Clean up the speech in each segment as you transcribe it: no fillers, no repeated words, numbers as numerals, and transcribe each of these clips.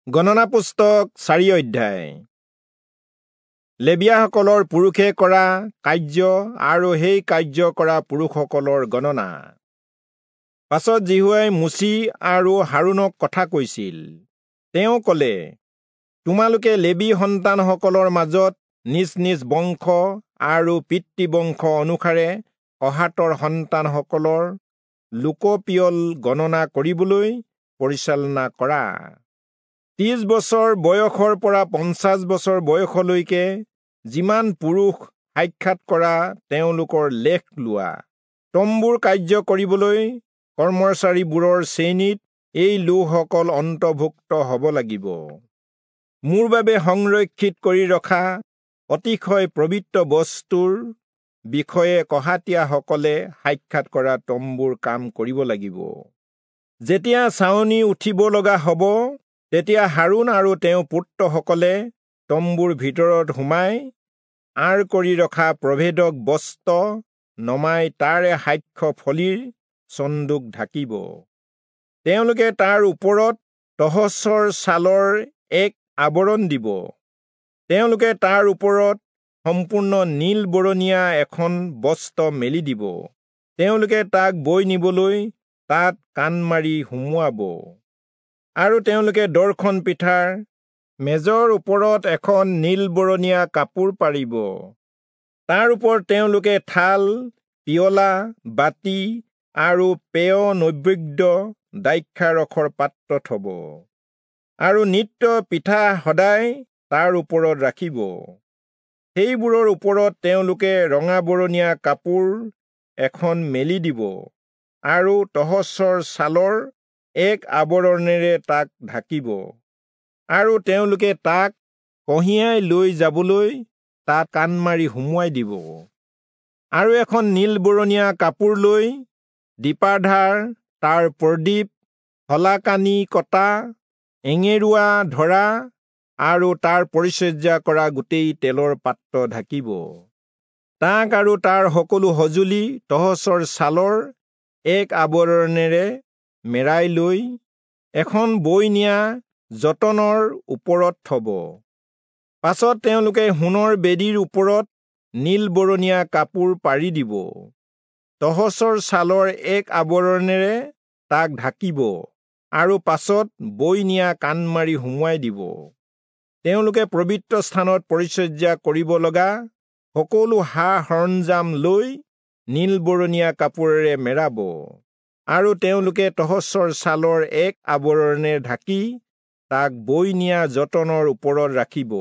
গণনা পুস্তক 4 অধ্যায়। লেবীয়াসকলৰ পুৰুষে কৰা কাৰ্য আৰু সেই কাৰ্য কৰা পুৰুষসকলৰ গণনা। পাছত যিহোৱাই মোচি আৰু হাৰোণক কথা কৈছিল। তেওঁ ক'লে, তোমালোকে লেবী সন্তানসকলৰ মাজত নিজ নিজ বংশ আৰু পিতৃবংশ অনুসাৰে কহাতৰ সন্তানসকলৰ লোকপিয়ল গণনা কৰিবলৈ পৰিচালনা কৰা। 30 বছৰ বয়সৰ পৰা 50 বছৰ বয়সলৈকে যিমান পুৰুষ সাক্ষাৎ কৰা তেওঁলোকৰ লেখ লোৱা। তম্বুৰ কাৰ্য কৰিবলৈ কৰ্মচাৰীবোৰৰ শ্ৰেণীত এই লোকসকল অন্তৰ্ভুক্ত হ'ব লাগিব। মোৰ বাবে সংৰক্ষিত কৰি ৰখা অতিশয় পবিত্ৰ বস্তুৰ বিষয়ে কহাতীয়াসকলে সাক্ষাৎ কৰা তম্বুৰ কাম কৰিব লাগিব। যেতিয়া ছাউনি উঠিব লগা হ'ব, তেতিয়া হাৰোণ আৰু তেওঁৰ পুত্ৰসকলে তম্বুৰ ভিতৰত সোমাই আঁৰ কৰি ৰখা প্ৰভেদক বস্ত্ৰ নমাই তাৰে সাক্ষ্য ফলিৰ চন্দুক ঢাকিব। তেওঁলোকে তাৰ ওপৰত তহচৰ ছালৰ এক আৱৰণ দিব। তেওঁলোকে তাৰ ওপৰত সম্পূৰ্ণ নীল বৰণীয়া এখন বস্ত্ৰ মেলি দিব। তেওঁলোকে তাক বৈ নিবলৈ তাত কাণ মাৰি সুমুৱাব। আৰু তেওঁলোকে দৰ্শন পিঠাৰ মেজৰ ওপৰত এখন নীল বৰণীয়া কাপোৰ পাৰিব। তাৰ ওপৰত তেওঁলোকে থাল, পিয়লা, বাতি আৰু পেয় নৈবেদ্য দ্ৰাক্ষাৰসৰ পাত্ৰ থব। আৰু নিত্য পিঠা সদায় তাৰ ওপৰত ৰাখিব। সেইবোৰৰ ওপৰত তেওঁলোকে ৰঙা বৰণীয়া কাপোৰ এখন মেলি দিব আৰু তহচৰ ছালৰ এক আৱৰণেৰে তাক ঢাকিব। আৰু তেওঁলোকে তাক কঢ়িয়াই লৈ যাবলৈ তাত কাণ মাৰি সুমুৱাই দিব। আৰু এখন নীল বৰণীয়া কাপোৰ লৈ দীপাধাৰ, তাৰ প্ৰদীপ, শলাকানি কটা, এঙেৰুৱা ধৰা আৰু তাৰ পৰিচৰ্যা কৰা গোটেই তেলৰ পাত্ৰ ঢাকিব। তাক আৰু তাৰ সকলো সঁজুলি তহচৰ ছালৰ এক আৱৰণেৰে মেৰাই লৈ এখন বৈ নিয়া যতনৰ ওপৰত থব। পাছত তেওঁলোকে সোণৰ বেদীৰ ওপৰত নীল বৰণীয়া কাপোৰ পাৰি দিব। তহচৰ ছালৰ এক আৱৰণেৰে তাক ঢাকিব আৰু পাছত বৈ নিয়া কাণ মাৰি সুমুৱাই দিব। তেওঁলোকে পবিত্ৰ স্থানত পৰিচৰ্যা কৰিব লগা সকলো সা সৰঞ্জাম লৈ নীল বৰণীয়া কাপোৰেৰে মেৰাব। আৰু তেওঁলোকে তহচৰ ছালৰ এক আৱৰণেৰে ঢাকি তাক বৈ নিয়া যতনৰ ওপৰত ৰাখিব।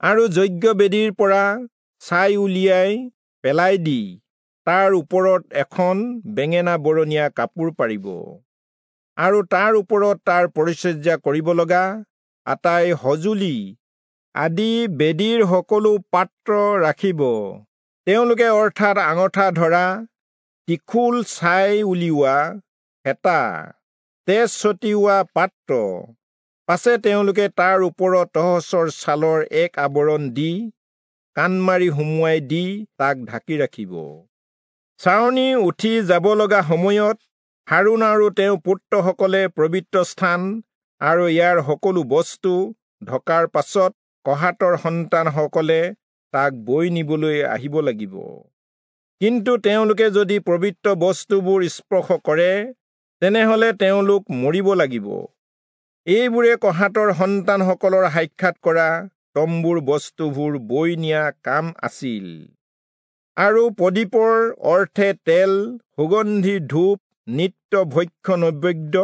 আৰু যজ্ঞবেদীৰ পৰা ছাই উলিয়াই পেলাই দি তাৰ ওপৰত এখন বেঙেনা বৰণীয়া কাপোৰ পাৰিব। আৰু তাৰ ওপৰত তাৰ পৰিচৰ্যা কৰিব লগা আটাই সঁজুলি আদি বেদীৰ সকলো পাত্ৰ ৰাখিব। তেওঁলোকে অৰ্থাৎ আঙঠা ধৰা, ত্ৰিশূল, ছাই উলিওৱা হেতা, তেজ ছটিওৱা পাত্ৰ। পাছে তেওঁলোকে তাৰ ওপৰত তহচৰ ছালৰ এক আৱৰণ দি কাণ মাৰি সুমুৱাই দি তাক ঢাকি ৰাখিব। ছাউনি উঠি যাব লগা সময়ত হাৰোণ আৰু তেওঁৰ পুত্ৰসকলে পবিত্ৰ স্থান আৰু ইয়াৰ সকলো বস্তু ঢকাৰ পাছত কহাতৰ সন্তানসকলে তাক বৈ নিবলৈ আহিব লাগিব। কিন্তু তেওঁলোকে যদি পবিত্ৰ বস্তুবোৰ স্পৰ্শ কৰে, তেনেহলে তেওঁলোক মৰিব লাগিব। এইবোৰে কহাতৰ সন্তানসকলৰ সাক্ষাৎ কৰা তম্বুৰ বস্তুবোৰ বৈ নিয়া কাম আছিল। আৰু প্ৰদীপৰ অৰ্থে তেল, সুগন্ধি ধূপ, নিত্য ভক্ষ্য নৈবেদ্য,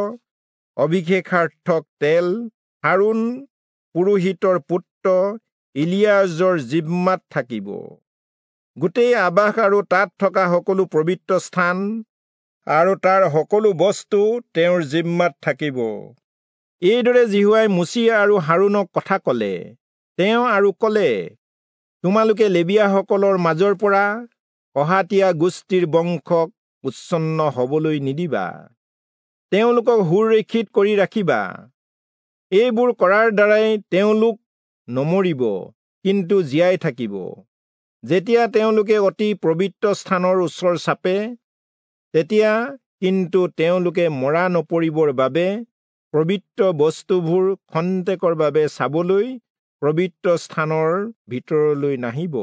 অভিষেকাৰ্থক তেল হাৰোণ পুৰোহিতৰ পুত্ৰ ইলিয়াজৰ জিম্মাত থাকিব। গোটেই আবাস আৰু তাত থকা সকলো পবিত্ৰ স্থান আৰু তাৰ সকলো বস্তু তেওঁৰ জিম্মাত থাকিব। এইদৰে যিহোৱাই মোচি আৰু হাৰোণক কথা ক'লে। তেওঁ আৰু ক'লে, তোমালোকে লেবীয়াসকলৰ মাজৰ পৰা কহাতীয়া গোষ্ঠীৰ বংশক উচ্ছন্ন হ'বলৈ নিদিবা। তেওঁলোকক সুৰক্ষিত কৰি ৰাখিবা। এইবোৰ কৰাৰ দ্বাৰাই তেওঁলোক নমৰিব, কিন্তু জীয়াই থাকিব। যেতিয়া তেওঁলোকে অতি পবিত্ৰ স্থানৰ ওচৰ চাপে, তেতিয়া কিন্তু তেওঁলোকে মৰা নপৰিবৰ বাবে পবিত্ৰ বস্তুবোৰ খন্তেকৰ বাবে চাবলৈ পবিত্ৰ স্থানৰ ভিতৰলৈ নাহিব।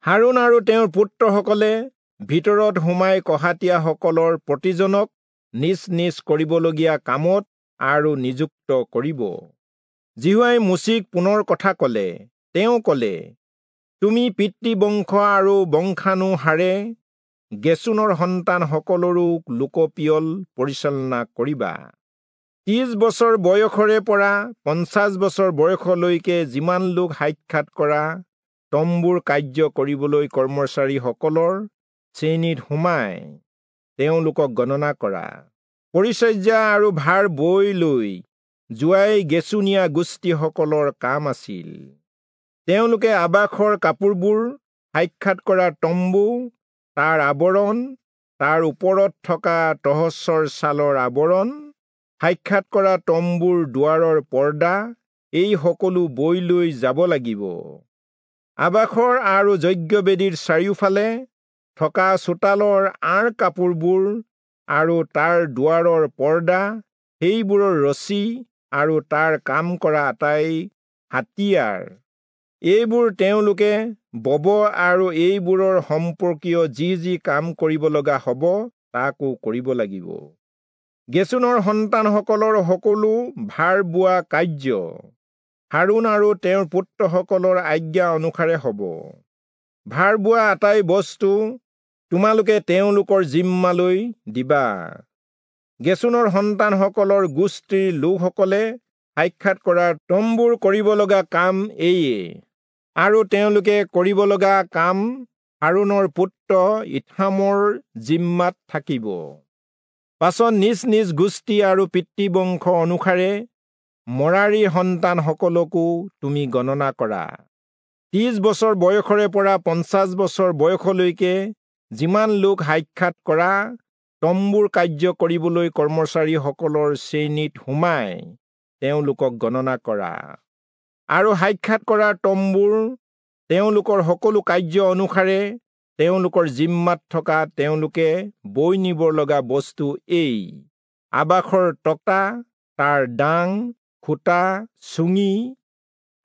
হাৰোণ আৰু তেওঁৰ পুত্ৰসকলে ভিতৰত সোমাই কহাতীয়াসকলৰ প্ৰতিজনক নিজ নিজ কৰিবলগীয়া কামত আৰু নিযুক্ত কৰিব। যিহোৱাই মোচিক পুনৰ কথা ক'লে। তেওঁ ক'লে, তুমি পিতৃবংশ আৰু বংশানুসাৰে গেচোনৰ সন্তানসকলৰো লোকপিয়ল পৰিচালনা কৰিবা। 30 বছৰ বয়সৰে পৰা 50 বছৰ বয়সলৈকে যিমান লোক সাক্ষাৎ কৰা তম্বুৰ কাৰ্য কৰিবলৈ কৰ্মচাৰীসকলৰ শ্ৰেণীত সোমাই তেওঁলোকক গণনা কৰা। পৰিচৰ্যা আৰু ভাৰ বৈ লৈ যোৱাই গেচোনীয়া গোষ্ঠীসকলৰ কাম আছিল। তেওঁলোকে আবাসৰ কাপোৰবোৰ, সাক্ষাৎ কৰা তম্বু, তাৰ আৱৰণ, তাৰ ওপৰত থকা তহচৰ ছালৰ আৱৰণ, সাক্ষাৎ কৰা তম্বুৰ দুৱাৰৰ পৰ্দা, এই সকলো বৈ লৈ যাব লাগিব। আবাসৰ আৰু যজ্ঞবেদীৰ চাৰিওফালে থকা চোতালৰ আঁৰ কাপোৰবোৰ আৰু তাৰ দুৱাৰৰ পৰ্দা, সেইবোৰৰ ৰছী আৰু তাৰ কাম কৰা আটাই হাতিয়াৰ, এইবোৰ তেওঁলোকে বব আৰু এইবোৰৰ সম্পৰ্কীয় যি যি কাম কৰিব লগা হ'ব তাকো কৰিব লাগিব। গেচোনৰ সন্তানসকলৰ সকলো ভাৰ বোৱা কাৰ্য হাৰোণ আৰু তেওঁৰ পুত্ৰসকলৰ আজ্ঞা অনুসাৰে হ'ব। ভাৰ বোৱা আটাই বস্তু তোমালোকে তেওঁলোকৰ জিম্মালৈ দিবা। গেচোনৰ সন্তানসকলৰ গোষ্ঠীৰ লোকসকলে সাক্ষাৎ কৰা তম্বুৰ কৰিব লগা কাম এইয়ে, আৰু তেওঁলোকে কৰিব লগা কাম হাৰোণৰ পুত্ৰ ইথামৰ জিম্মাত থাকিব। পাছত নিজ নিজ গোষ্ঠী আৰু পিতৃবংশ অনুসাৰে মৰাৰীৰ সন্তানসকলকো তুমি গণনা কৰা। 30 বছৰ বয়সৰে পৰা 50 বছৰ বয়সলৈকে যিমান লোক সাক্ষাৎ কৰা তম্বুৰ কাৰ্য কৰিবলৈ কৰ্মচাৰীসকলৰ শ্ৰেণীত সোমাই তেওঁলোকক গণনা কৰা। আৰু সাক্ষাৎ কৰা তম্বুৰ তেওঁলোকৰ সকলো কাৰ্য অনুসাৰে তেওঁলোকৰ জিম্মাত থকা তেওঁলোকে বৈ নিব লগা বস্তু এই: আবাসৰ তক্তা, তাৰ ডাং, খুঁটা, চুঙি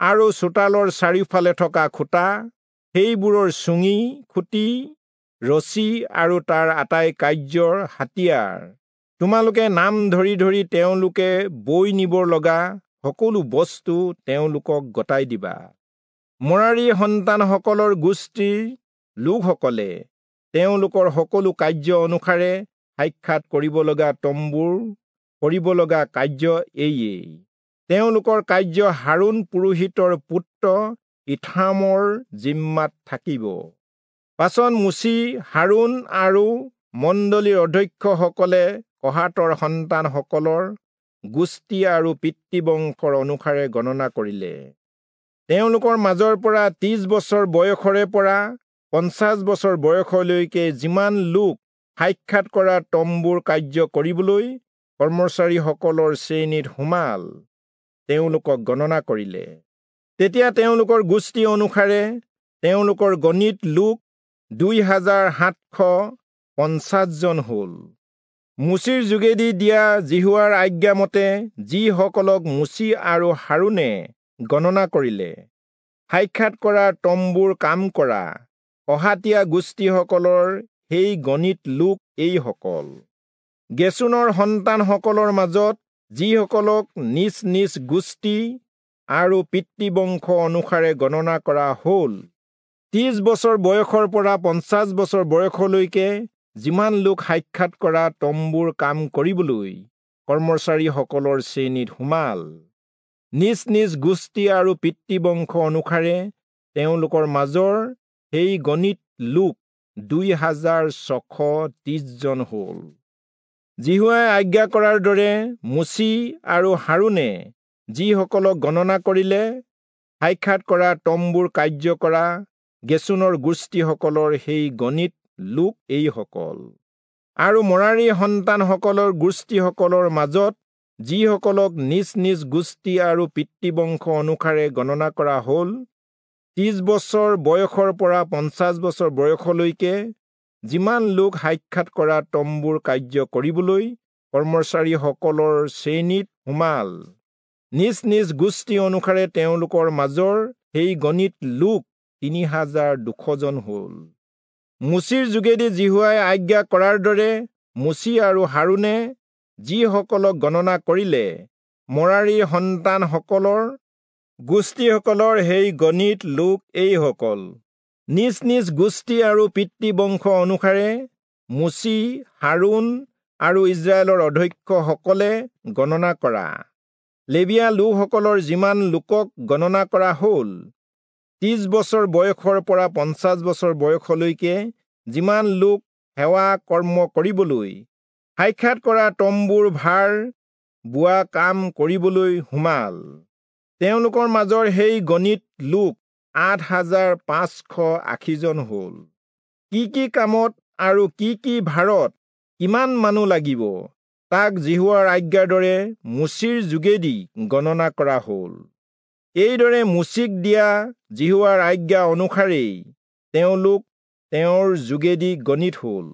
আৰু চোতালৰ চাৰিওফালে থকা খুঁটা, সেইবোৰৰ চুঙি, খুঁটি, ৰছী আৰু তাৰ আটাই কাৰ্যৰ হাতিয়াৰ। তোমালোকে নাম ধৰি ধৰি তেওঁলোকে বৈ নিব লগা সকলো বস্তু তেওঁলোকক গতাই দিবা। মৰাৰী সন্তানসকলৰ গোষ্ঠীৰ লোকসকলে তেওঁলোকৰ সকলো কাৰ্য অনুসাৰে সাক্ষাৎ কৰিব লগা তম্বুৰ কৰিব লগা কাৰ্য এইয়েই। তেওঁলোকৰ কাৰ্য হাৰোণ পুৰোহিতৰ পুত্ৰ ইথামৰ জিম্মাত থাকিব। পাছত মোচি, হাৰোণ আৰু মণ্ডলীৰ অধ্যক্ষসকলে কহাতৰ সন্তানসকলৰ গোষ্ঠী আৰু পিতৃবংশৰ অনুসাৰে গণনা কৰিলে। তেওঁলোকৰ মাজৰ পৰা 30 বছৰ বয়সৰে পৰা 50 বছৰ বয়সলৈকে যিমান লোক সাক্ষাৎ কৰা তম্বুৰ কাৰ্য কৰিবলৈ কৰ্মচাৰীসকলৰ শ্ৰেণীত সোমাল তেওঁলোকক গণনা কৰিলে। তেতিয়া তেওঁলোকৰ গোষ্ঠী অনুসাৰে তেওঁলোকৰ গণিত লোক 2750 জন হ'ল। মোচিৰ যোগেদি দিয়া যিহোৱাৰ আজ্ঞামতে যিসকলক মোচি আৰু হাৰোণে গণনা কৰিলে, সাক্ষাৎ কৰা তম্বুৰ কাম কৰা কহাতীয়া গোষ্ঠীসকলৰ সেই গণিত লোক এইসকল। গেচোনৰ সন্তানসকলৰ মাজত যিসকলক নিজ নিজ গোষ্ঠী আৰু পিতৃবংশ অনুসাৰে গণনা কৰা হ'ল, 30 বছৰ বয়সৰ পৰা 50 বছৰ বয়সলৈকে যিমান লোক সাক্ষাৎ কৰা তম্বুৰ কাম কৰিবলৈ কৰ্মচাৰীসকলৰ শ্ৰেণীত সোমাল, নিজ নিজ গোষ্ঠী আৰু পিতৃবংশ অনুসাৰে তেওঁলোকৰ মাজৰ সেই গণিত লোক 2630 জন হ'ল। যিহোৱাই আজ্ঞা কৰাৰ দৰে মোচি আৰু হাৰোণে যিসকলক গণনা কৰিলে, সাক্ষাৎ কৰা তম্বুৰ কাৰ্য কৰা গেচোনৰ গোষ্ঠীসকলৰ সেই গণিত লোক এইসকল। আৰু মৰাৰী সন্তানসকলৰ গোষ্ঠীসকলৰ মাজত যিসকলক নিজ নিজ গোষ্ঠী আৰু পিতৃবংশ অনুসাৰে গণনা কৰা হ'ল, 30 বছৰ বয়সৰ পৰা 50 বছৰ বয়সলৈকে যিমান লোক সাক্ষাৎ কৰা তম্বুৰ কাৰ্য কৰিবলৈ কৰ্মচাৰীসকলৰ শ্ৰেণীত সোমাল। নিজ নিজ গোষ্ঠী অনুসাৰে তেওঁলোকৰ মাজৰ সেই গণিত লোক 3200 জন হ'ল। মোচিৰ যোগেদি যিহোৱাই আজ্ঞা কৰাৰ দৰে মোচি আৰু হাৰোণে যিসকলক গণনা কৰিলে, মৰাৰীৰ সন্তানসকলৰ গোষ্ঠীসকলৰ সেই গণিত লোক এইসকল। নিজ নিজ গোষ্ঠী আৰু পিতৃবংশ অনুসাৰে মোচি, হাৰোণ আৰু ইস্ৰায়েলৰ অধ্যক্ষসকলে গণনা কৰা লেবীয়া লোকসকলৰ যিমান লোকক গণনা কৰা হ'ল, 30 বছৰ বয়সৰ পৰা 50 বছৰ বয়সলৈকে যিমান লোক সেৱা কৰ্ম কৰিবলৈ সাক্ষাৎ কৰা তম্বুৰ ভাৰ বোৱা কাম কৰিবলৈ সোমাল, তেওঁলোকৰ মাজৰ সেই গণিত লোক 8580 জন হ'ল। কি কি কামত আৰু কি কি ভাৰত কিমান মানুহ লাগিব, তাক যিহোৱাৰ আজ্ঞাৰ দৰে মোচিৰ যোগেদি গণনা কৰা হ'ল। এইদৰে মোচিক দিয়া যিহোৱাৰ আজ্ঞা অনুসাৰেই তেওঁলোক তেওঁৰ যোগেদি গণিত হ'ল।